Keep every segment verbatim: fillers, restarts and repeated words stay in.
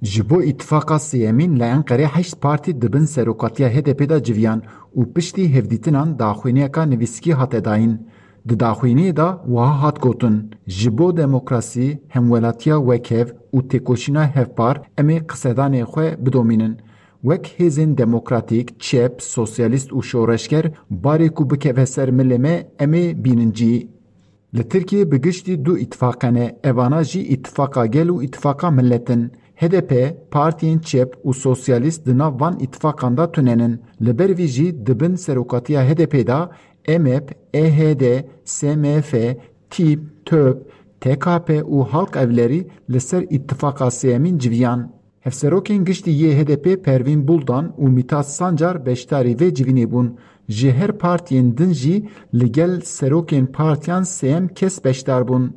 Ji bo îtifaqa sêyemîn li Enqerê heşt partî di bin serokatiya H D P de civiyan û piştî hevdîtinan daxuyaniyeka nivîskî hate dayîn. Di daxuyaniyê de wiha hat gotin, ji bo demokrasî, hemwelatiya wekhev û têkoşîna hevpar em ê qisedanê xwe bidomînin. Wek hêzên demokratîk, çep, sosyalîst û şoreşger barê ku bikeve ser milê me em ê bînin cî. Li Tirkiyê bi giştî du îtifaq hene, evana jî Îtifaqa Gel û Îtifaqa Millet in. H D P, partiyên çep û sosyalîst di nav van îtifaqan de tune nin. Li ber vî jî di bin serokatiya H D P de M H P, E H D, S M F, TÎP, TÖP, T K P û Halk Evlerî li ser îtifaqa sêyemîn civiyan. Hevserokên giştî yê H D P Pervîn Buldan û Mîtat Sancar beşdarî vê civînê bûn. Ji her partiyên din jî li gel serokên partiyan sêyem kes beşdar bûn.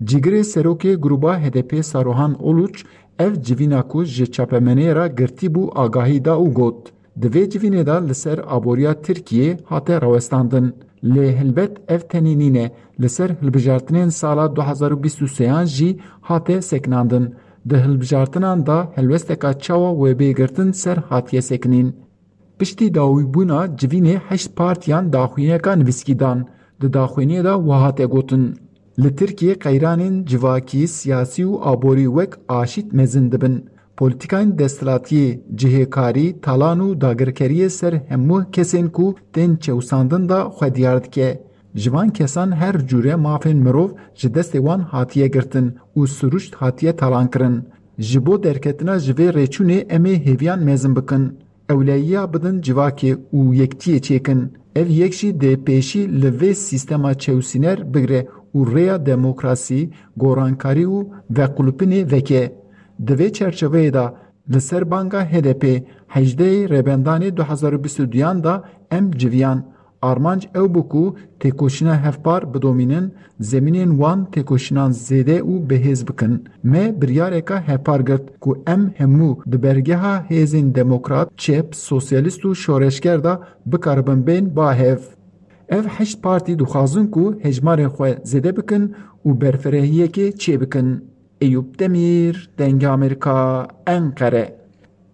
Cîgirê serokê grûba H D P Saruhan Uluç ev civîna ku ji çapemenê re girtî bû agahî da û got, di vê civînê de li ser aboriya Tirkiyê hate rawestandin. Lê helbet ev tenê nîne, li ser hilbijartinên sala du hezar û bîst û sêyan jî hate sekinandin. Di hilbijartinan de helwesteka çawa wê bê girtin ser hatiye sekinîn. Piştî dawîbûna civînê heşt partiyan daxuyaniyeka nivîskî dan. Di daxuyaniyê de wiha hate gotin, li Tirkiyê qeyranên civakî, siyasî û aborî wek aşît mezin dibin. Polîtîkayên desthilatiyê, cihêkarî, talan û dagirkeriyê ser hemû kesên ku tên çewsandin de xwe diyar dike. Ji van kesan her cûre mafên mirov ji destê wan hatiye girtin û sirûşt hatiye talankirin. Ji bo derketina ji vê rêçûnê em ê hêviyan mezin bikin. Ewleyiya bidin civakê û yektiyê çêkin. Ev yek jî dê pêşî li vê sîstema çewsîner bigre û rêya demokrasî, gorankarî û vequlipinê veke. Di vê çerçeveyê de li ser banga H D P hejdehê Rêbendanê du hezar û bîst û duyan de em civiyan. Armanc ew bû ku têkoşîna hevpar bidomînin, zemînên wan têkoşînan zêde û bihêz bikin. Me biryareka hevpar girt ku em hemû di bergeha hêzên demokrat, çep, sosyalîst û şoreşger de bikaribin bên ba hev. Ev heşt partî dixwazin ku hejmarên xwe zêde bikin û berfirehiyekê çêbikin. Eyûp Demîr, Dengê Amerîka, Enqere.